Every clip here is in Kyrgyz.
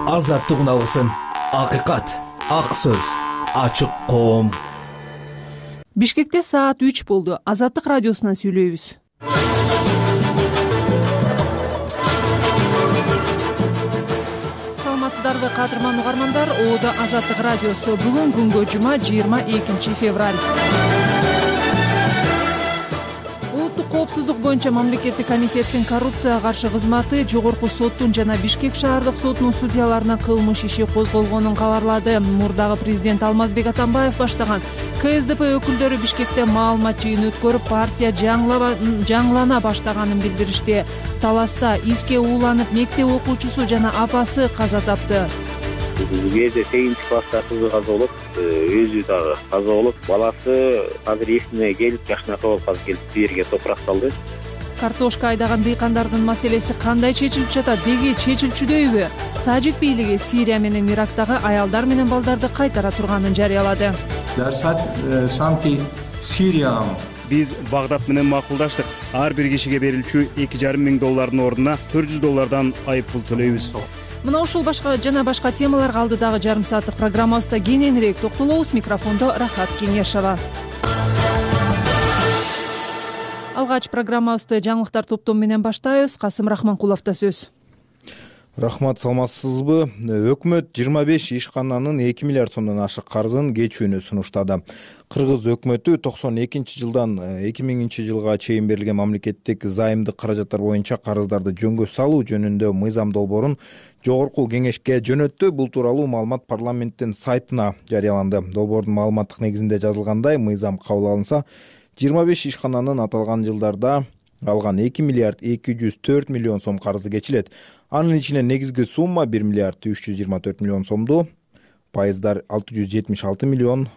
азаттык алгысым, акыйкат, ак сөз, ачык коом. Бишкекте саат 3 болду. Азаттык радиосунан сүйлөйбүз. Саламатсыздарбы кадырман угармандар? Оодо Азаттык радиосу. Бүгүн күнгө жума 22 февраль. Улуттук коопсуздук боюнча мамлекеттик комитеттин коррупцияга каршы кызматы Жогорку соттун жана Бишкек шаардык сотунун судьяларына кылмыш иши козголгонун кабарлады. Мурдагы президент Алмазбек Атамбаев баштаган КСДП өкүлдөрү Бишкекте маалымат жыйын өткөрүп, партия жаңылана баштаганын билдиришти. Таласта иске ууланып, мектеп окуучусу жана апасы каза тапты. Бул жерде 8 класста кызы каза болот, өзү дагы каза болот. Баласы азыр эсине келип, жашына болуп азыр келип бу жерге топурак салды. Картошка айдаган дыйкандардын маселеси кандай чечилип жатат? Деги чечилчүдөйбү? Тажик бийлиги Сирия менен Ирактагы аялдар менен балдарды кайтара турганын жарыялады. Биз Багдад менен макулдаштык. Ар бир кишиге берилчү $2,500 ордуна $400 айып пул төлөйбүз. Мына ушул башка темаларга алдыдагы жарым сааттык программабызда кененирээк токтолобуз. Микрофондо Рахат Кеңешова. Алгач программабызды жаңылыктар топтому менен баштайбыз. Касым Рахманкуловдо сөз. Рахмат, саламатсызбы? Өкмөт 25 ишкананын 2 миллиард сомдон ашык карызын кечүүнү сунуштады. Кыргыз өкмөтү 92-жылдан 2000 жылга чейин берилген мамлекеттик займдык каражаттар боюнча карыздарды жөнгө салуу жөнүндө мыйзам долбоорун Жогорку кеңешке жөнөттү. Бул тууралуу маалымат парламенттин сайтына жарыяланды. Долбоордун маалыматтык негизинде жазылгандай, мыйзам кабыл алынса, 25 ишкананын аталган жылдарда алган 2 миллиард 204 миллион сом карызы кечилет. Анын ичинен негизги сумма 1 миллиард 324 миллион сомду, пайыздар 676 миллион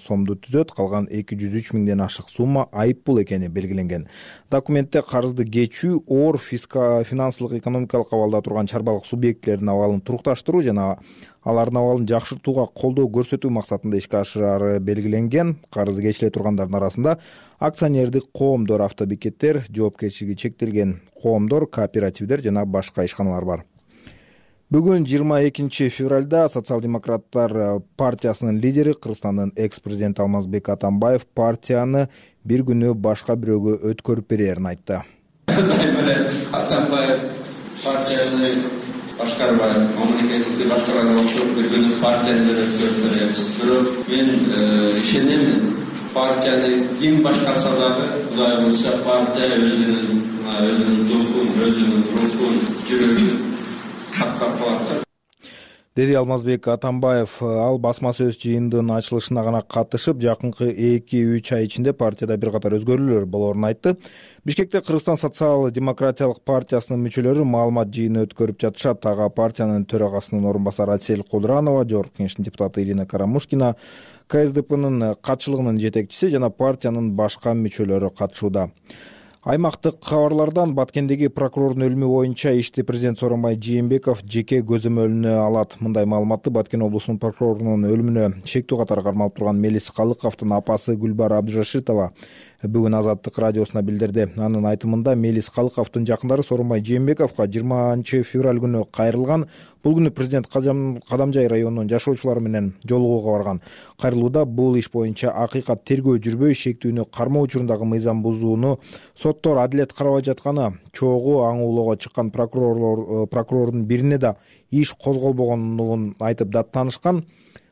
сомду түзөт. Калган 203 миңден ашык сумма айып пул экени белгиленген. Документте карызды кечүү оор финансылык экономикалык абалда турган чарбалык субъектилердин абалын турукташтыруу жана алардын абалын жакшыртууга колдоо көрсөтүү максатында ишке ашырары белгиленген. Карызы кечиле тургандардын арасында акционердик коомдор, автобекеттер, жоопкерчилиги чектелген коомдор, кооперативдер жана башка ишканалар бар. Бүгүн 22 февралда Социал-демократтар партиясынын лидери, Кыргызстандын экс-президенти Алмазбек Атамбаев партияны бир күнү башка бирөөгө өткөрүп берерин айтты. Атамбаев партияны башкарбай, мамлекетти башкарган окшоп бир күнү партияны өткөрүп беребиз. Бирок мен ишенем, партияны ким башкарса дагы, Кудай буйрса, партия өзүнүн духун, өзүнүн рухун, жүрөгүн деди Алмазбек Атамбаев. Ал басма сөз жыйындын ачылышына гана катышып, жакынкы 2-3 ай ичинде партияда бир катар өзгөрүүлөр болоорун айтты. Бишкекте Кыргызстан социал-демократиялык партиясынын мүчөлөрү маалымат жыйыны өткөрүп жатышат. Ага партиянын төрагасынын орун басары Асель Кудуранова, Жогорку кеңештин депутаты Ирина Карамушкина, КСДПнын катчылыгынын жетекчиси жана партиянын башка мүчөлөрү катышууда. Аймактык кабарлардан Баткендеги прокурордун өлүмү боюнча ишти президент Сооронбай Жээнбеков жеке көзөмөлүнө алат. Мындай маалыматты Баткен облусунун прокурорунун өлүмүнө шектүү катары кармалып турган Мелис Калыковдун апасы Гүлбар Абдыжашитова бүгүн Азаттык радиосуна билдирди. Анын айтымында Мелис Калыковдун жакындары Сооронбай Жээнбековго 20 февраль күнү кайрылган. Бул күнү президент Кадамжай районунун жашоочулары менен жолугууга барган. Кайрылууда бул иш боюнча акыйкат тергөө жүрбөй, шектүүнү кармоо учурундагы мыйзам бузууну соттор адилет карабай жатканы, чогуу аңуулоого чыккан прокурордун бирине да иш козголбогонун айтып даттанышкан.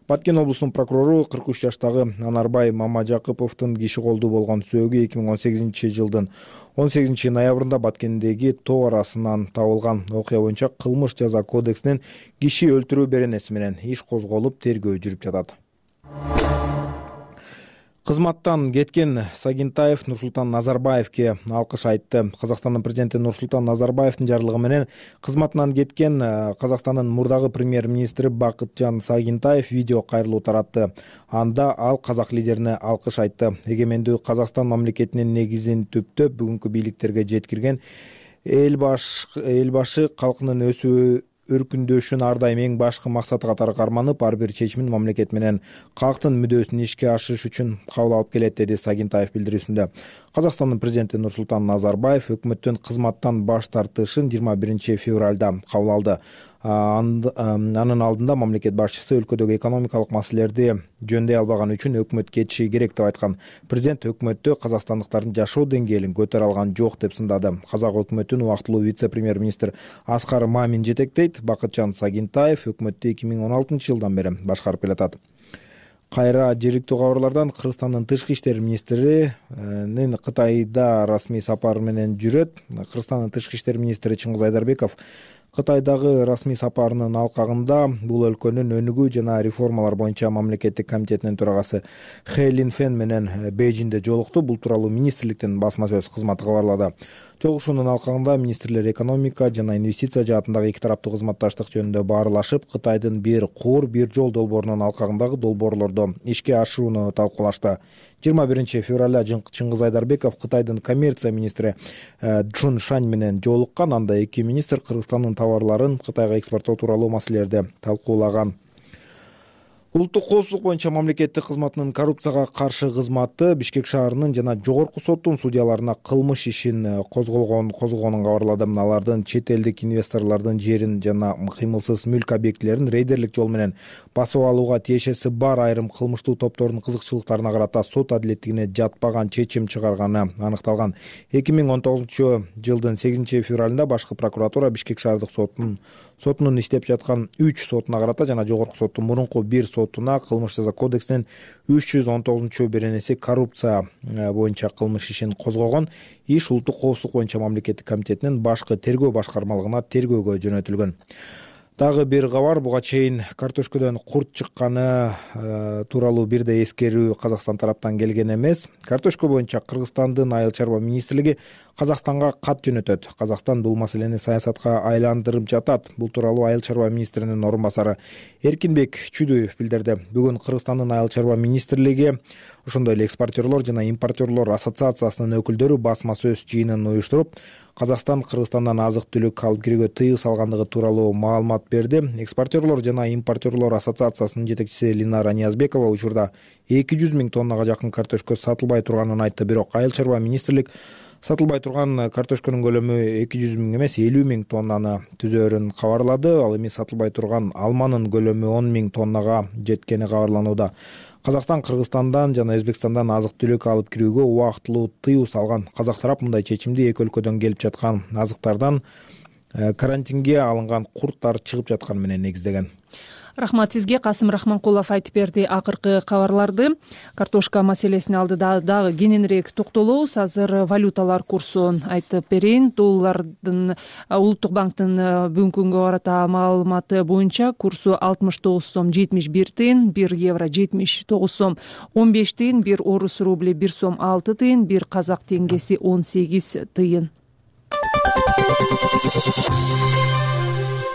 Баткен облусунун прокурору 43 жаштагы Анарбай Мамажакыповдун киши колдуу болгон сөөгү 2018 жылдын 18 ноябрында Баткендеги тоо арасынан табылган. Окуя боюнча кылмыш жаза кодексинин киши өлтүрүү беренеси менен иш козголуп, тергөө жүрүп жатат. Кызматтан кеткен Сагинтаев Нурсултан Назарбаевке алкыш айтты. Казакстандын президенти Нурсултан Назарбаевдин жарлыгы менен кызматынан кеткен Казакстандын мурдагы премьер-министри Бакытжан Сагинтаев видео кайрылуу таратты. Анда ал казак лидерине алкыш айтты. Эгемендүү Казакстан мамлекетинин негизин түптөп бүгүнкү бийликтерге жеткирген элбашы калкынын өсүү өркүндөшүн ар дайым эң башкы максаты катары карманып, ар бир чечимин мамлекет менен калктын мүдөөсүн ишке ашырыш үчүн кабыл алып келет, деди Сагинтаев билдирүүсүндө. Казакстандын президенти Нурсултан Назарбаев өкмөттүн кызматтан баш тартышын 21 февралда кабыл алды. Анын алдында мамлекет башчысы өлкөдөгү экономикалык маселелерди жөндөй албаганы үчүн өкмөт кетиши керек деп айткан. Президент өкмөттө казакстандыктардын жашоо деңгээлин көтөрө алган жок деп сындады. Казак өкмөтүн убактылуу вице-премьер-министр Аскар Мамин жетектейт. Бакытжан Сагинтаев өкмөттү 2016 жылдан бери башкарып келатат. Кайра жергиликтүү кабарлардан Кыргызстандын тышкы иштер министринин Кытайда расмий сапары менен жүрөт. Кыргызстандын тышкы иштер министри Чыңгыз Айдарбеков Кытайдагы расмий сапарынын алкагында бул өлкөнүн өнүгүү жана реформалар боюнча мамлекеттик комитетинин төрагасы Хэ Линфен менен Бейжиңде жолукту. Бул тууралуу министрликтин басма сөз кызматы кабарлады. Жолугушуунун алкагында министрлер экономика жана инвестиция жаатындагы эки тараптуу кызматташтык жөнүндө баарлашып, Кытайдын бир куур, бир жол долбоорунун алкагындагы долбоорлорду ишке ашырууну талкуулашты. 21 февралда Чыңгыз Айдарбеков Кытайдын коммерция министри Чжун Шань менен жолуккан. Анда эки министр Кыргызстандын товарларын Кытайга экспорттоо тууралуу маселелерди талкуулаган. Улуттук коопсуздук боюнча мамлекеттик кызматынын коррупцияга каршы кызматы Бишкек шаарынын жана жогорку соттун судьяларына кылмыш ишин козгогонун кабарлады. Алардын чет элдик инвесторлордун жерин жана кыймылсыз мүлк объектилерин рейдерлик жол менен басып алууга тиешеси бар айрым кылмыштуу топтордун кызыкчылыктарына карата сот адилеттигине жатпаган чечим чыгарганы аныкталган. 2019 жылдын 8 февралында башкы прокуратура Бишкек шаардык сотунун иштеп жаткан 3 сотуна карата жана жогорку соттун мурунку 1 сотуна кылмыш жаза кодексинин 319 беренеси коррупция боюнча кылмыш ишин козгогон. Иш улуттук коопсуздук боюнча мамлекеттик комитетинин башкы тергөө башкармалыгына тергөөгө жөнөтүлгөн. Дагы бир кабар, буга чейин картошкодон курт чыкканы тууралуу бир да эскерүү Казакстан тараптан келген эмес. Картошка боюнча Кыргызстандын айыл чарба министрлиги Казакстанга кат жөнөтөт. Казакстан бул маселени саясатка айландырып жатат. Бул тууралуу айыл чарба министринин орун басары Эркинбек Чүдөев билдирди. Бүгүн Кыргызстандын айыл чарба министрлиги ошондой эле экспортерлор жана импортерлор ассоциациясынын өкүлдөрү басма сөз жыйынын уюштуруп, Казакстан Кыргызстандан азык-түлүк алып кирүүгө тыюу салгандыгы тууралуу маалымат берди. Экспортерлор жана импортерлор ассоциациясынын жетекчиси Линара Ниязбекова учурда 200 000 тоннага жакын картошка сатылбай турганын айтты. Бирок айыл чарба министрлик сатылбай турган картошканын көлөмү 200 000 эмес 50 000 тоннаны түзөөрүн кабарлады. Ал эми сатылбай турган алманын көлөмү 10 000 тоннага жеткени кабарланууда. Казакстан Кыргызстандан жана Өзбекстандан азык-түлүк алып кирүүгө убактылуу тыюу салган. Казак тарап мындай чечимди эки өлкөдөн келип жаткан азыктардан карантинге алынган курттар чыгып жатканы менен негиздеген. Рахмат сизге. Касым Рахманкулов айтып берди акыркы кабарларды. Картошка маселесине алдыда дагы кененирээк токтолобуз. Азыр валюталар курсун айтып берейин. Доллардын Улуттук банктын бүгүнкү күнгө карата маалыматы боюнча курсу 69 сом 71 тыйын, 1 евро 79 сом 15 тыйын, 1 орус рубли 1 сом 6 тыйын, 1 казак теңгеси 18 тыйын.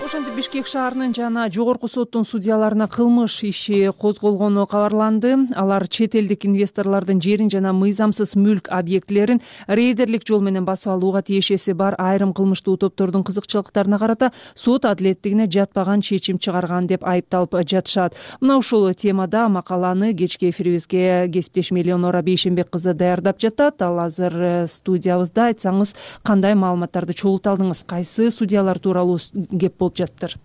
Ошентип Бишкек шаарынын жана жогорку соттун судьяларына кылмыш иши козголгону кабарланды. Алар чет элдик инвесторлордун жерин жана мыйзамсыз мүлк объектилерин рейдерлик жол менен басып алууга тиешеси бар айрым кылмыштуу топтордун кызыкчылыктарына карата сот адилеттигине жатпаган чечим чыгарган деп айыпталып жатышат. Мына ушул темада макаланы кечки эфирибизге кесиптешим Элеонора Бейшенбек кызы даярдап жатат. Ал азыр студиябызда. Айтсаңыз, кандай маалыматтарды чогулта алдыңыз? Кайсы судьялар тууралуу кеп болуп жатыптыр?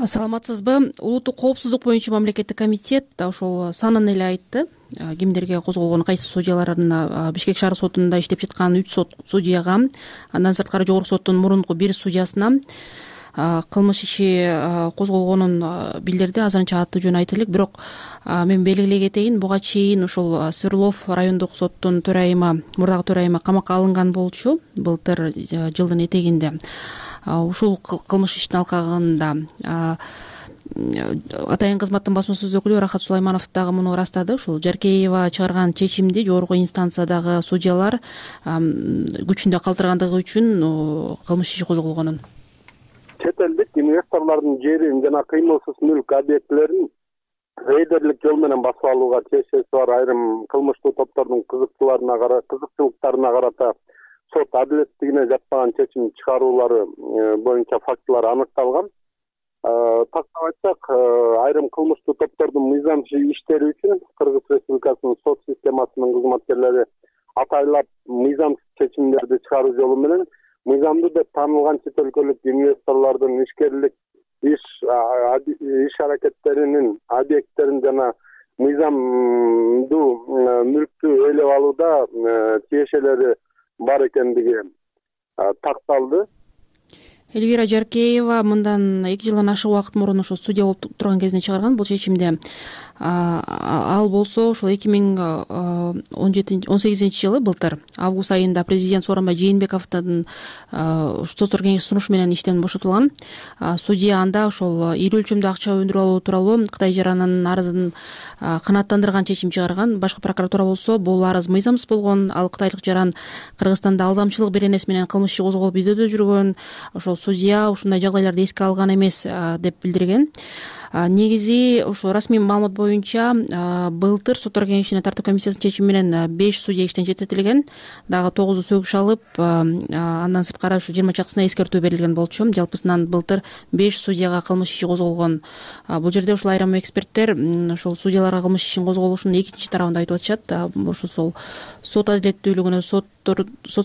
Саламатсызбы? Улуттук коопсуздук боюнча мамлекеттик комитет ошол санын эле айтты. Кимдерге козголгон, кайсы судьяларына Бишкек шаар сотунда иштеп жаткан 3 судьяга, андан сырткары жогорку соттун мурунку 1 судьясына кылмыш иши козголгонун билдирди. Азырынча аты жөнү айта элек, бирок мен белгилей кетейин, буга чейин ушул Свердлов райондук соттун төрайымы, мурдагы төрайымы камакка алынган болчу былтыр жылдын этегинде. Ушул кылмыш иштин алкагында атайын кызматтын басма сөз өкүлү Рахат Сулайманов дагы муну ырастады. Ушул Жаркеева чыгарган чечимди жогорку инстанциядагы судьялар күчүндө калтыргандыгы үчүн кылмыш иши козголгонун. Чет элдик инвесторлордун жерин жана кыймылсыз мүлк объектилерин рейдерлик жол менен басып алууга тиешеси бар айрым кылмыштуу топтордун кызыкчылыктарына карата сот адилеттигине жатпаган чечим чыгаруулары боюнча фактылар аныкталган. Тактап айтсак, айрым кылмыштуу топтордун мыйзамсыз иштери үчүн Кыргыз Республикасынын сот системасынын кызматкерлери атайлап мыйзамсыз чечимдерди чыгаруу жолу менен мыйзамдуу деп таанылган чет өлкөлүк инвесторлордун ишкерлик иш аракеттеринин объекттерин жана мыйзамдуу мүлктү ээлеп алууда тиешелери бар экендиги такталды. Элвира Жаркеева мындан 2 жылдан ашык убакыт мурун ошо судья болуп турган кезинде чыгарган бул чечимди. Ал болсо ошол 2018 жылы былтыр август айында президент Сооронбай Жээнбековдун соттор кеңеши сунушу менен иштен бошотулган. Судья анда ошол ири өлчөмдүү акча өндүрүп алуу тууралуу Кытай жаранынын арызын канааттандырган чечим чыгарган. Башкы прокуратура болсо бул арыз мыйзамсыз болгон, ал кытайлык жаран Кыргызстанда алдамчылык беренеси менен кылмыш иши козголуп издөөдө жүргөн, ошол судья ушундай жагдайларды эске алган эмес деп билдирген. Негизи ошо расмий маалымат боюнча былтыр соттор кеңешинин тартып комиссиясынын чечими менен 5 судья иштен четтетилген, дагы 9 сөгүш алып, андан сырткары ушу 20 чакысына эскертүү берилген болчу. Жалпысынан былтыр 5 судьяга кылмыш иши козголгон. Бул жерде ушул айрым эксперттер ошол судьяларга кылмыш ишин козголушунун экинчи тарабын айтып атышат. Ошол сот адилеттүүлүгүнө, сот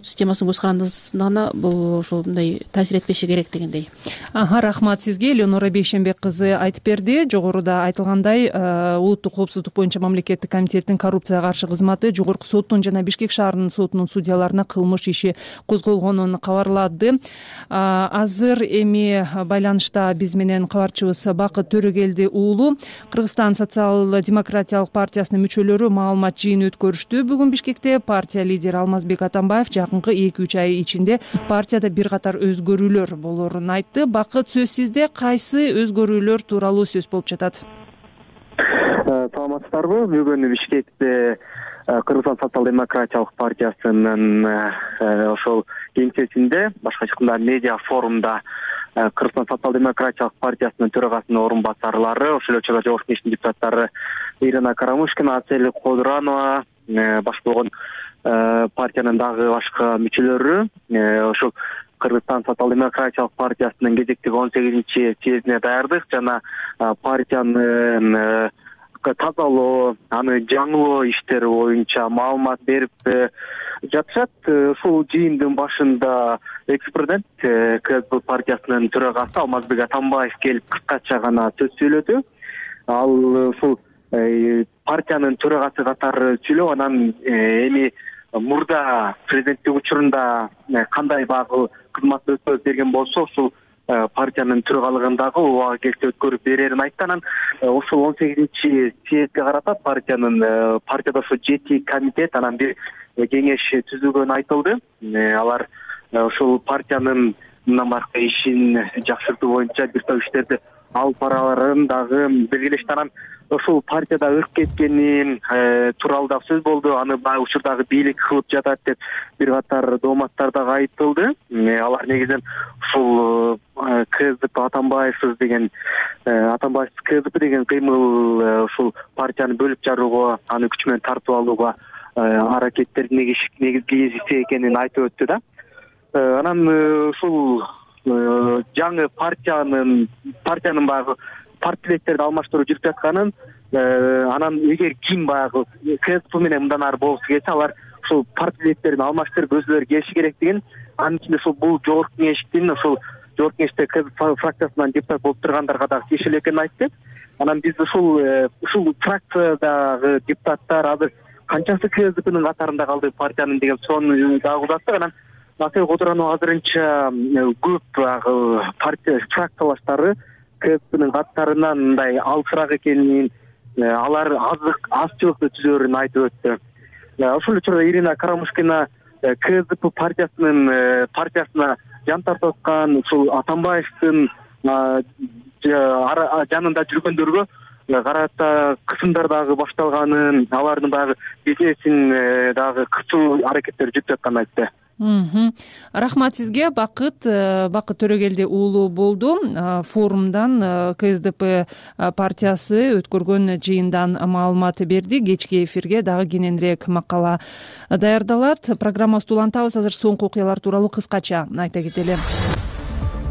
системасынын көз карандысына бул ошондой таасир этпеши керек дегендей. Рахмат сизге. Элеонора Бейшенбек кызы айтып берди. Жогоруда айтылгандай, улуттук коопсуздук боюнча мамлекеттик комитеттин коррупцияга каршы кызматы Жогорку соттун жана Бишкек шаарынын сотунун судьяларына кылмыш иши козголгонун кабарлады. Азыр эми байланышта биз менен кабарчыбыз Бакыт Төрөгелди уулу. Кыргызстан социал-демократиялык партиясынын мүчөлөрү маалымат жыйыны өткөрүштү. Бүгүн Бишкекте партия лидери Алмазбек Атамбаев жакынкы 2-3 ай ичинде партияда бир катар өзгөрүүлөр болорун айтты. Бакыт, сөз сизде. Кайсы өзгөрүүлөр тууралуу сөз болуп жатат? Саламатсыздарбы? Бүгүн Бишкекте Кыргызстан социал-демократиялык партиясынын ошол кеңсесинде, башка айтканда медиа форумда Кыргызстан социал-демократиялык партиясынын төрагасынын орун басарлары, ошол эле учурда жогорку кеңештин депутаттары Ирина Карамушкина, Ацели Кодуранова, башка болгон партиянын дагы башка мүчөлөрү ошол Кыргызстан социал-демократиялык партиясынын кезектеги 18-чи съездине даярдык жана партиянын тазалоо, аны жаңылоо иштери боюнча маалымат берип жатышат. Ушул жыйындын башында экс-президент КСДП партиясынын төрагасы Алмазбек Атамбаев келип кыскача гана сөз сөйлөдү. Ал ушул партиянын төрагасы катары сүйлөп, анан эми мурда президенттик учурунда кандай багы кызматты өткөрүп берген болсо, ушул партиянын төрагалыгындагы убага келсе өткөрүп берерин айтты. Анан ошол 18-чи съездге карата партияда ошо 7 комитет, анан бир кеңеш түзүлгөнү айтылды. Алар ошол партиянын мындан баркы ишин жакшыртуу боюнча бир топ иштерди алып бараларын дагы белгилешти. Анан ошол партияда ырк кеткени тууралуу дагы сөз болду. Аны баягы учурдагы бийлик кылып жатат деп бир катар дооматтар дагы айтылды. Алар негизинен ушул КСДП Атамбаевсыз деген КСДП деген кыймыл ушул партияны бөлүп жарууга, аны күч менен тартып алууга аракеттердин негизгиси экенин айтып өттү да. Анан ушул жаңы партиянын баягы партиялерди алмаштыруу жүрүп жатканын, анан эгер ким баягы КСДП менен мындан ары болгусу келсе, алар ушул партиялердин алмаштырып өзүлөрү келиши керек деген, анын ичинде ушул бул жогорку кеңеште КСДП фракциясынан депутат болуп тургандарга дагы тиешелүү экенин айтты. Анан биз ушул фракциядагы депутаттар азыр канчасы КСДПнын катарында калды партиянын деген суроону дагы узаттык. Анан Ацели Кодуранова азырынча көп партия фракциялаштары КСДПнын катарынан мындай алысыраак экенин, алар азчылыкты түзөрүн айтып өттү. Ошол учурда Ирина Карамушкина КСДП партиясына жан тартып аткан ушул Атамбаевдин жанында жүргөндөргө карата кысымдар дагы башталганын, алардын баягы бизнесин дагы кысуу аракеттери жүрүп жатканын айтты. Рахмат сизге. Бакыт Төрөгелди уулу болду. Форумдан КСДП партиясы өткөргөн жыйындан маалымат берди. Кечки эфирге дагы кененирээк макала даярдалат. Программабызды улантабыз. Азыр соңку окуялар тууралуу кыскача айта кетели.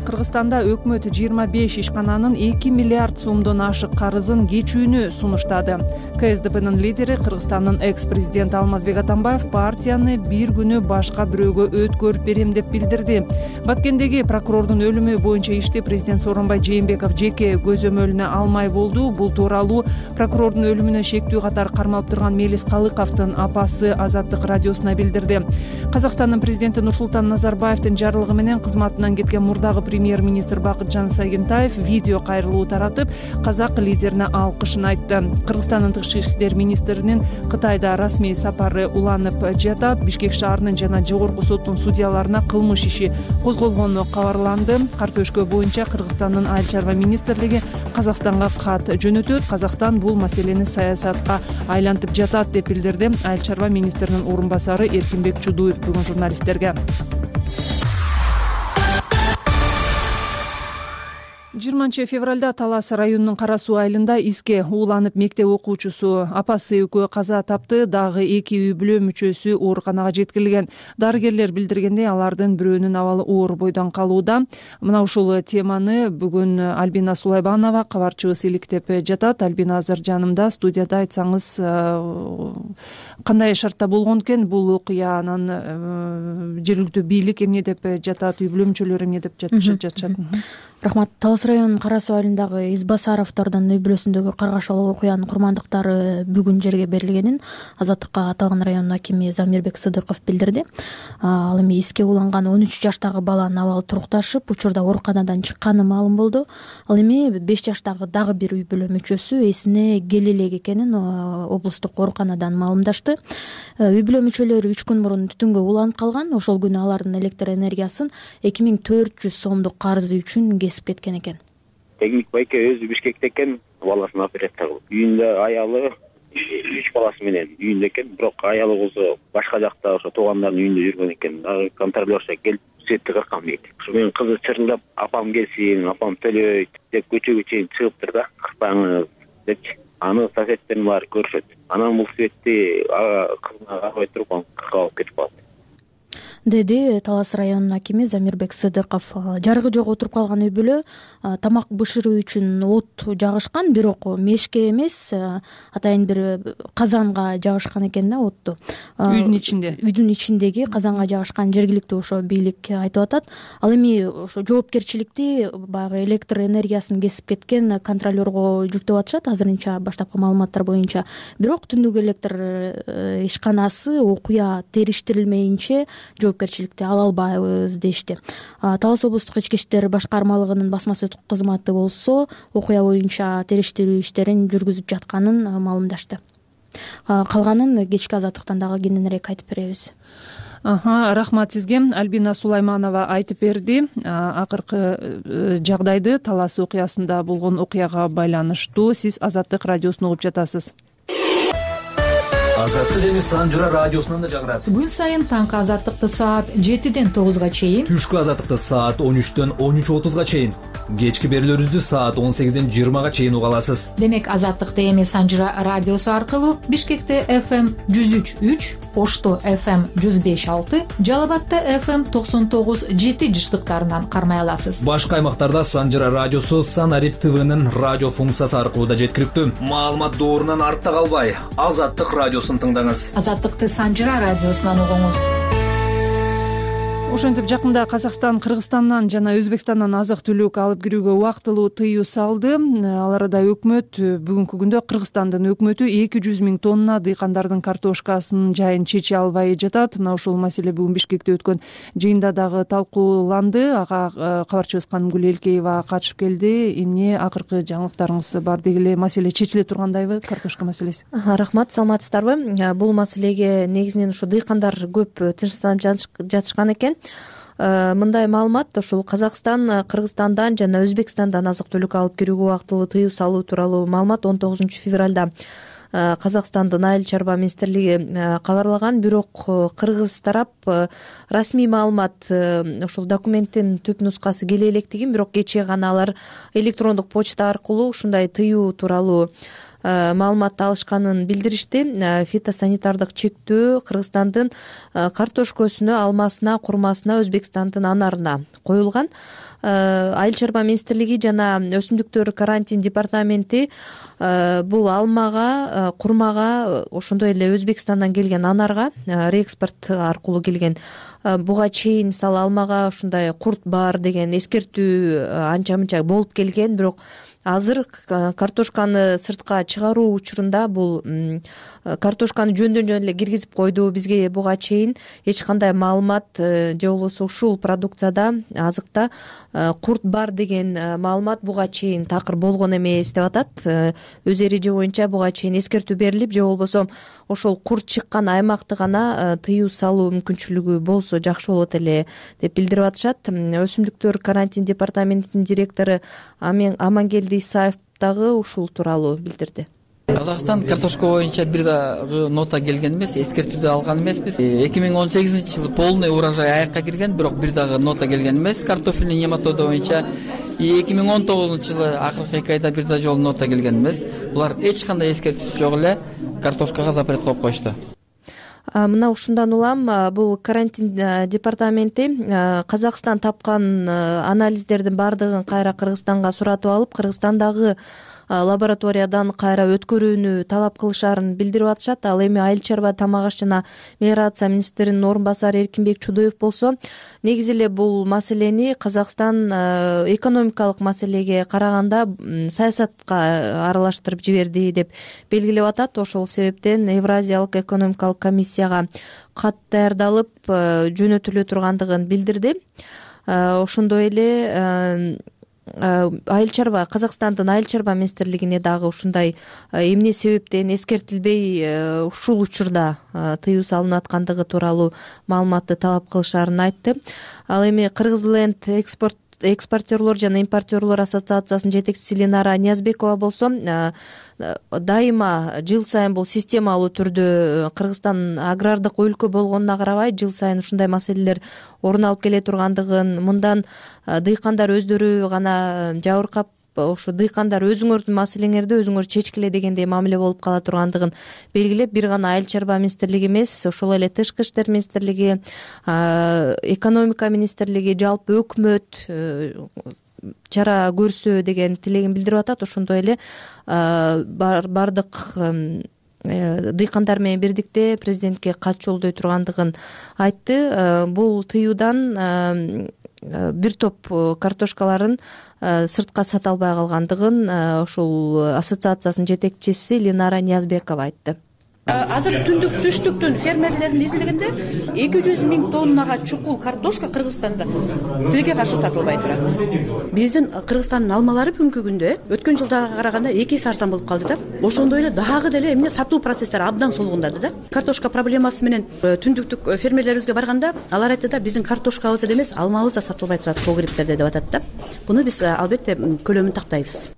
Кыргызстанда өкмөт 25 ишкананын 2 миллиард сомдон ашык карызын кечүүнү сунуштады. КСДПнын лидери, Кыргызстандын экс-президенти Алмазбек Атамбаев партияны бир күнү башка бирөөгө өткөрүп берем деп билдирди. Баткендеги прокурордун өлүмү боюнча ишти президент Сооронбай Жээнбеков жеке көзөмөлүнө алмай болду. Бул тууралуу прокурордун өлүмүнө шектүү катары кармалып турган Мелис Калыковдун апасы Азаттык радиосуна билдирди. Казакстандын президенти Нурсултан Назарбаевдин жарлыгы менен кызматынан кеткен мурдагы премьер-министр Бакытжан Сагентаев видео кайрылуу таратып, казак лидерине алкышын айтты. Кыргызстандын тышкы иштер министринин Кытайда расмий сапары уланып жатат. Бишкек шаарынын жана жогорку соттун судьяларына кылмыш иши козголгону кабарланды. Картөшкө боюнча Кыргызстандын айыл чарба министрлиги Казакстанга кат жөнөтөт. Казакстан бул маселени саясатка айлантып жатат деп билдирди айыл чарба министринин орун басары Эркинбек Чудуев бүгүн журналисттерге. 20 февралда Талас районунун Кара Суу айылында иске ууланып мектеп окуучусу апасы экөө каза тапты. Дагы 2 үй бүлө мүчөсү ооруканага жеткирилген. Дарыгерлер билдиргендей, алардын бирөөнүн абалы оор бойдон калууда. Мына ушул теманы бүгүн Альбина Сулайбанова кабарчыбыз иликтеп жатат. Альбина азыр жанымда, студияда. Айтсаңыз, кандай шартта болгон экен бул окуя, анан жергиликтүү бийлик эмне деп жатат, үй бүлө мүчөлөрү эмне деп жатышат? Рахмат. Талас районунун Кара Суу айылындагы Избасаровдордун үй бүлөсүндөгү каргашалуу окуянын курмандыктары бүгүн жерге берилгенин Азаттыкка аталган райондун акими Замирбек Сыдыков билдирди. Ал эми иске ууланган 13 жаштагы баланын абалы турукташып, учурда ооруканадан чыкканы маалым болду. Ал эми 5 жаштагы дагы бир үй бүлө мүчөсү эсине келе элек экенин облустук ооруканадан маалымдашты. Үй бүлө мүчөлөрү 3 күн мурун түтүнгө уланып калган. Ошол күнү алардын электр энергиясын 2400 сомдук карызы үчүн кесип кеткен экен. Техник байке өзү Бишкекте экен, баласын операция кылып. Үйүндө аялы 3 баласы менен үйүндө экен, бирок аялы кызы башка жакта ошо туугандарынын үйүндө жүргөн экен. Контролерча келип сетти кыркан дейт. Ошо менин кызы чырылдап, апам келсин, апам төлөйт деп көчөгө чейин чыгыптыр да, кырпаңыз депчи. Аны соседтерин баары көрүшөт. Анан бул светти кызына карабай туруп, аны кыркып алып кетип калат, деди Талас районунун акими Замирбек Сыдыков. Жарыгы жок отуруп калган үй бүлө тамак бышыруу үчүн от жагышкан, бирок мешке эмес, атайын бир казанга жагышкан экен да отту. Үйдүн ичиндеги казанга жагышкан, жергиликтүү ошо бийлик айтып атат. Ал эми ошо жоопкерчиликти баягы электр энергиясын кесип кеткен контролерго жүктөп атышат азырынча баштапкы маалыматтар боюнча. Бирок түндүк электр ишканасы окуя териштирилмейинче жоопкерчиликти ала албайбыз дешти. Талас облустук ички иштер башкармалыгынын басма сөз кызматы болсо окуя боюнча териштирүү иштерин жүргүзүп жатканын маалымдашты. Калганын кечки Азаттыктан дагы кененирээк айтып беребиз. Рахмат сизге. Альбина Сулайманова айтып берди. Акыркы жагдайды Талас окуясында болгон окуяга байланыштуу сиз Азаттык радиосун угуп жатасыз. Азаттык эми Санжыра радиосунан да жагырат. Күн сайын таңкы Азаттыкты саат 7-ден 9-га чейин, түшкү Азаттыкты саат 13-төн 13:30-га чейин, кечки берүүлөрүбүздү саат 18-ден 20-га чейин уга аласыз. Демек Азаттыкты эми Санжыра радиосу аркылуу Бишкекте FM 103.3, Ошто FM 105.6, Жалал Абадта FM 99.7 жыштыктарынан кармай аласыз. Башка аймактарда Санжыра радиосу Санарип ТВнын радио функциясы аркылуу да жеткиликтүү. Маалымат доорунан артта калбай, Азаттык радиосун тыңдаңыз. Азаттыкты Санжыра радиосунан угуңуз. Ошентип жакында Казакстан Кыргызстандан жана Өзбекстандан азык-түлүк алып кирүүгө убактылуу тыюу салды. Ал арада өкмөт бүгүнкү күндө Кыргызстандын өкмөтү 200 000 тонна дыйкандардын картошкасынын жайын чече албай жатат. Мына ушул маселе бүгүн Бишкекте өткөн жыйында дагы талкууланды. Ага кабарчыбыз Канымгүл Элкеева катышып келди. Эмне акыркы жаңылыктарыңыз бар? Деги эле маселе чечиле тургандайбы, картошка маселеси? Рахмат, саламатсыздарбы? Бул маселеге негизинен ушу дыйкандар көп тынчсызданып жатышкан экен. Мындай маалымат, ушул Казакстан Кыргызстандан жана Өзбекстандан азык-түлүк алып кирүүгө убактылуу тыюу салуу тууралуу маалымат 19 февралда Казакстандын айыл чарба министрлиги кабарлаган. Бирок кыргыз тарап расмий маалымат, ушул документтин түп нускасы келе электигин, бирок кечээ гана алар электрондук почта аркылуу ушундай тыюу тууралуу маалымат алышканын билдиришти. Фитосанитардык чектөө Кыргызстандын картошкосуна, алмасына, курмасына, Өзбекстандын анарына коюлган. Айыл чарба министрлиги жана өсүмдүктөр карантин департаменти бул алмага, курмага, ошондой эле Өзбекстандан келген анарга реэкспорт аркылуу келген буга чейин мисалы алмага ушундай курт бар деген эскертүү анча мынча болуп келген, бирок азыр картошканы сыртка чыгаруу учурунда бул картошканы жөндөн жөн эле киргизип койду. Бизге буга чейин эч кандай маалымат же болбосо ушул продукцияда, азыкта курт бар деген маалымат буга чейин такыр болгон эмес деп атат. Өз эреже боюнча буга чейин эскертүү берилип, же болбосо ошол курт чыккан аймакты гана тыюу салуу мүмкүнчүлүгү болсо жакшы болот эле деп билдирип атышат. Өсүмдүктөр карантин департаментинин директору Амангелди Исаев дагы ушул тууралуу билдирди. Казакстан картошка боюнча бир дагы нота келген эмес, эскертүүдө алган эмеспиз. 2018-жылы полный урожай аякка кирген, бирок бир дагы нота келген эмес картофельный нематода боюнча. 2019-жылы акыркы 2 айда бир да жолу нота келген эмес. Булар эч кандай эскертүүсү жок эле картошкага запрет коюп коюшту. Мына ушундан улам бул карантин департаменти Казакстан тапкан анализдердин баардыгын кайра Кыргызстанга суратып алып, Кыргызстандагы лабораториядан кайра өткөрүүнү талап кылышарын билдирип атышат. Ал эми айыл чарба, тамак аш жана мелиорация министринин орун басары Эркинбек Чудоев болсо, негизи эле бул маселени Казакстан экономикалык маселеге караганда саясатка аралаштырып жиберди деп белгилеп атат. Ошол себептен Евразиялык экономикалык комиссияга кат даярдалып жөнөтүлө тургандыгын билдирди. Ошондой эле айыл чарба, Казакстандын айыл чарба министрлигине дагы ушундай эмне себептен эскертилбей ушул учурда тыюу салынып аткандыгы тууралуу маалыматты талап кылышарын айтты. Ал эми Кыргызленд экспортерлор жана импортерлор ассоциациясынын жетекчиси Ленара Ниязбекова болсо, дайыма жыл сайын бул системалуу түрдө Кыргызстан агрардык өлкө болгонуна карабай жыл сайын ушундай маселелер орун алып келе тургандыгын, мындан дыйкандар өздөрү гана жабыркап, ошо дыйкандар өзүңөрдүн маселеңерди өзүңөр чечкиле дегендей мамиле болуп кала тургандыгын белгилеп, бир гана айыл чарба министрлиги эмес, ошол эле Тышкы иштер министрлиги, экономика министрлиги, жалпы өкмөт чара көрсө деген тилегин билдирип атат. Ошондой эле бардык дыйкандар менен бирдикте президентке кат жолдой тургандыгын айтты. Бул тыюудан бир топ картошкаларын сыртка сата албай калгандыгын ушул ассоциациясынын жетекчиси Ленара Ниязбекова айтты. Азыр түндүк түштүктүн фермерлердин изилдегенде 200 миң тоннага чукул картошка Кыргызстанда тилге каршы сатылбай турат. Биздин Кыргызстандын алмалары бүгүнкү күндө өткөн жылдага караганда 2 эсе арзан болуп калды да. Ошондой эле дагы деле эмне сатуу процесстери абдан солгундады да. Картошка проблемасы менен түндүктүк фермерлерибизге барганда алар айтты да, биздин картошкабыз эле эмес, алмабыз да сатылбай турат погребтерде деп атат да. Буну биз албетте көлөмүн тактайбыз.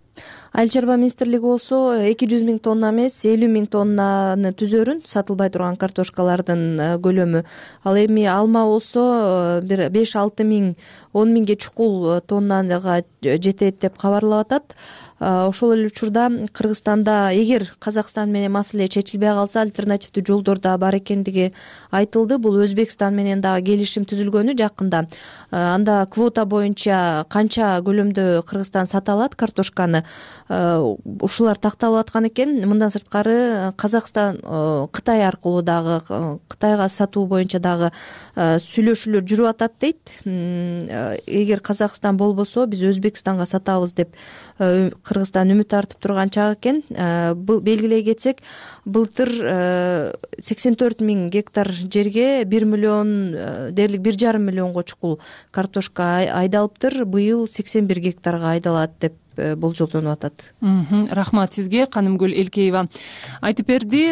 Айыл чарба министрлиги болсо 200 миң тонна эмес, 50 миң тоннаны түзөрүн сатылбай турган картошкалардын көлөмү. Ал эми алма болсо 5-6 миң, 10 миңге чукул тоннага жетет деп кабарлап атат. Ошол эле учурда Кыргызстанда эгер Казакстан менен маселе чечилбей калса, альтернативдүү жолдор да бар экендиги айтылды. Бул Өзбекстан менен дагы келишим түзүлгөнү жакында. Анда квота боюнча канча көлөмдө Кыргызстан сата алат картошканы, ушулар такталып аткан экен. Мындан сырткары Казакстан Кытай аркылуу дагы Кытайга сатуу боюнча дагы сүйлөшүүлөр жүрүп атат дейт. Эгер Казакстан болбосо биз Өзбекстанга сатабыз деп Кыргызстан үмүт артып турган чак экен. Белгилей кетсек, былтыр 84 миң гектар жерге 1 миллион дээрлик 1,5 миллионго чукул картошка айдалыптыр. Быйыл 81 гектарга айдалат деп болжолдонуп атат. Рахмат сизге, Канымгүл Элкеева айтып берди.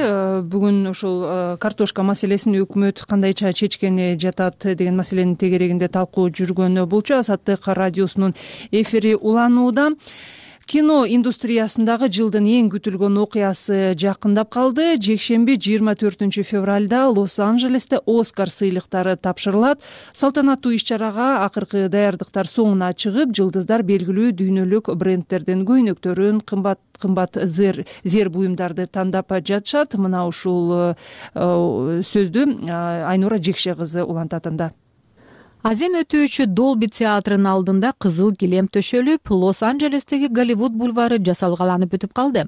Бүгүн ушул картошка маселесин өкмөт кандайча чечкени жатат деген маселенин тегерегинде талкуу жүргөн. Булчу Азаттык радиосунун эфири уланууда. Кино индустриясындагы жылдын эң күтүлгөн окуясы жакындап калды. Жекшемби 24 февралда Лос-Анджелесте Оскар сыйлыктары тапшырылат. Салтанаттуу иш-чарага акыркы даярдыктар соңуна чыгып, жылдыздар белгилүү дүйнөлүк брендтердин көйнөктөрүн, кымбат зер буюмдарды тандап жатышат. Мына ушул сөздү Айнура Жекше кызы улантат анда. Азем өтүүчү Долби театрынын алдында кызыл килем төшөлүп, Лос-Анджелестеги Голливуд бульвары жасалгаланып өтүп калды.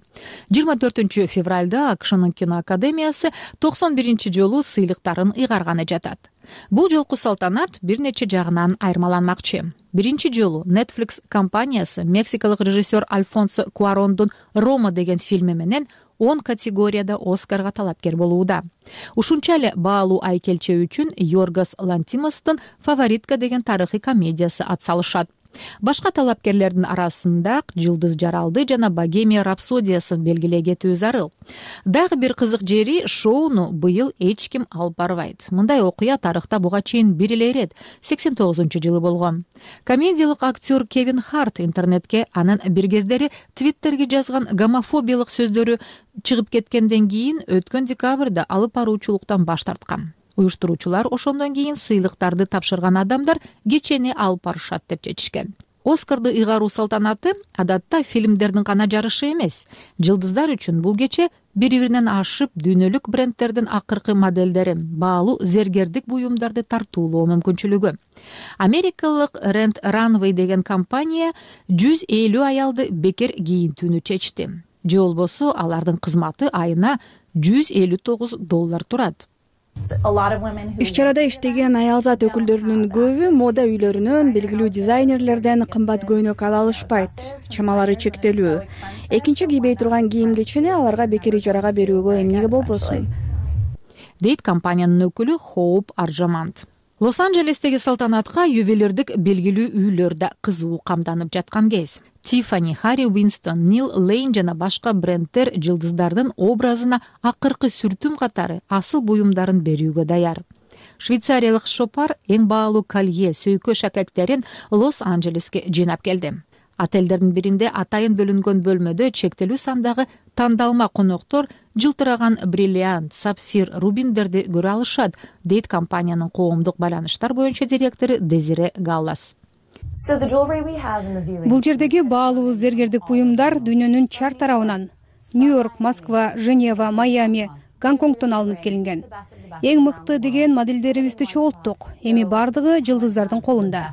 24 февралда АКШнын кино академиясы 91 жолу сыйлыктарын ыйгарганы жатат. Бул жолку салтанат бир нече жагынан айырмаланмакчы. Биринчи жолу Netflix компаниясы мексикалык режиссер Альфонсо Куарондун «Рома» деген фильми менен 10 категорияда Оскарга талапкер болууда. Ушунча эле баалуу айкелче үчүн Йоргос Лантимостун «Фаворитка» деген тарыхый комедиясы атсалышат. Башка талапкерлердин арасында «Жылдыз жаралды» жана «Богемия рапсодиясын» белгилей кетүү зарыл. Дагы бир кызык жери, шоуну быйыл эч ким алып барбайт. Мындай окуя тарыхта буга чейин бир эле ирет 89-жылы болгон. Комедиялык актер Кевин Харт интернетке анын бир кездери Твиттерге жазган гомофобиялык сөздөрү чыгып кеткенден кийин өткөн декабрда алып баруучулуктан баш тарткан. Уюштуруучулар ошондон кийин сыйлыктарды тапшырган адамдар кечени алып барышат деп чечишкен. Оскарды ыйгаруу салтанаты адатта фильмдердин гана жарышы эмес. Жылдыздар үчүн бул кече бири-биринен ашып дүйнөлүк брендтердин акыркы модельдерин, баалуу зергердик буюмдарды тартуулоо мүмкүнчүлүгү. Америкалык Rent Runway деген компания 150 аялды бекер кийинтүүнү чечти. Же болбосо алардын кызматы айына $159 турат. Иш-чарада иштеген аялзат өкүлдөрүнүн көбү мода үйлөрүнөн, белгилүү дизайнерлерден кымбат көйнөк ала алышпайт. Чамалары чектелүү. Экинчи кийбей турган кийим-кечени аларга бекер ижарага берүүгө эмнеге болбосун? Дейт компаниянын өкүлү Хоуп Аржамант. Лос-Анджелестеги салтанатка ювелирдик белгилүү үйлөр да кызуу камданып жаткан кез. Tiffany, Harry Winston, Neil Lane жана башка брендтер жылдыздардын образына акыркы сүртүм катары асыл буюмдарын берүүгө даяр. Швейцариялык шопар эң баалуу колье, сөйкө шакектерин Лос-Анджелеске жыйнап келди. Отелдердин биринде атайын бөлүнгөн бөлмөдө чектелүү сандагы тандалма коноктор жылтыраган бриллиант, сапфир, рубиндерди көрө алышат, дейт компаниянын коомдук байланыштар боюнча директору Дезире Галлас. Бул жердеги баалуу зергердик буюмдар дүйнөнүн чар тарабынан Нью-Йорк, Москва, Женева, Майами, Гонконгдон алынып келинген. Эң мыкты деген модельдерибизди чогулттук. Эми бардыгы жылдыздардын колунда.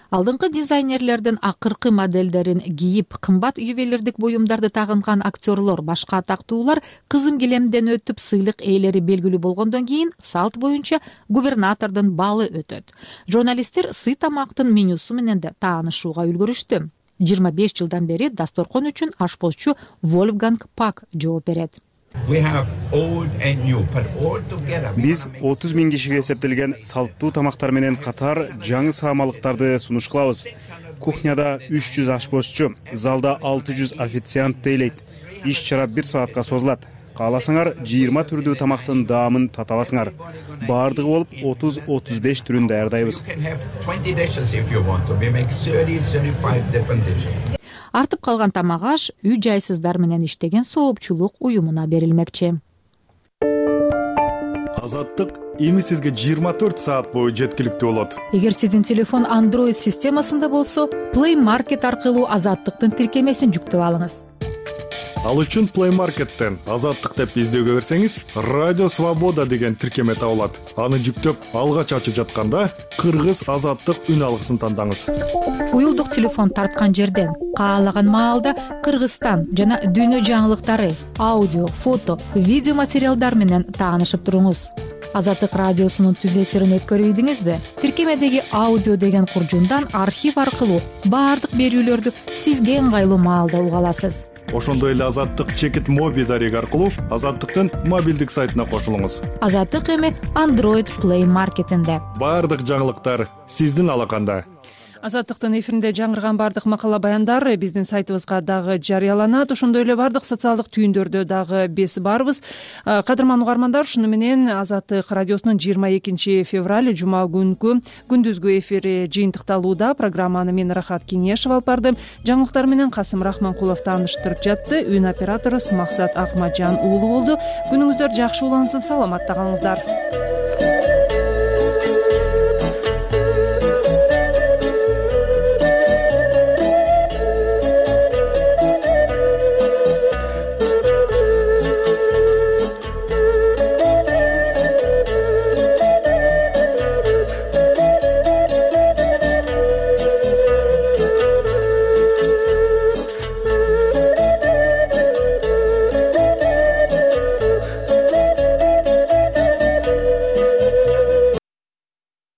Алдыңкы дизайнерлердин акыркы модельдерин кийип, кымбат ювелирдик буюмдарды тагынган актерлор, башка атактуулар кызым килемден өтүп сыйлык ээлери белгилүү болгондон кийин салт боюнча губернатордун балы өтөт. Журналисттер сый тамактын менюсу менен да таанышууга үлгүрүштү. 25 жылдан бери дасторкон үчүн ашпозчу Вольфганг Пак жооп берет. Биз 30 000 кишиге эсептелген салттуу тамактар менен катар жаңы саамалыктарды сунуш кылабыз. Кухняда 300 ашпозчу, залда 600 официант дейлейт. Иш-чара 1 саатка созулат. Кааласаңар 20 түрдүү тамактын даамын тата аласыңар. Бардыгы болуп 30-35 түрүн даярдайбыз. Артып калган тамак аш үй жайсыздар менен иштеген соопчулук уюмуна берилмекчи. Азаттык эми сизге 24 саат бою жеткиликтүү болот. Эгер сиздин телефон Android системасында болсо, Play Market аркылуу Азаттыктын тиркемесин жүктөп алыңыз. Ал үчүн Play Market'тен Азаттык деп издөөгө берсеңиз, Радио Свобода деген тиркеме табылат. Аны жүктөп, алгач ачып жатканда Кыргыз Азаттык үн алгысын тандаңыз. Уюлдук телефон тарткан жерден каалаган маалда Кыргызстан жана дүйнө жаңылыктары, аудио, фото, видео материалдар менен таанышып туруңуз. Азаттык радиосунун түз эфирин өткөрүп ийдиңизби? Тиркемедеги аудио деген куржундан архив аркылуу баардык берүүлөрдү сизге ыңгайлуу маалда уга аласыз. Ошондой эле Азаттык чекит моби дареги аркылуу Азаттыктын мобилдик сайтына кошулуңуз. Азаттык эми Android Play Market'инде. Баардык жаңылыктар сиздин алаканда. Азаттыктын эфиринде жаңырган баардык макала баяндар биздин сайтыбызга дагы жарыяланат. Ошондой эле баардык социалдык түйүндөрдө дагы биз барбыз. Кадырман угармандар, ушуну менен Азаттык радиосунун 22 февраль жума күнкү күндүзгү эфири жыйынтыкталууда. Программаны мен Рахат Кеңешева алып бардым. Жаңылыктар менен Касым Рахманкулов тааныштырып жатты. Үн оператору Максат Акматжан уулу болду. Күнүңүздөр жакшы улансын, саламатта калыңыздар.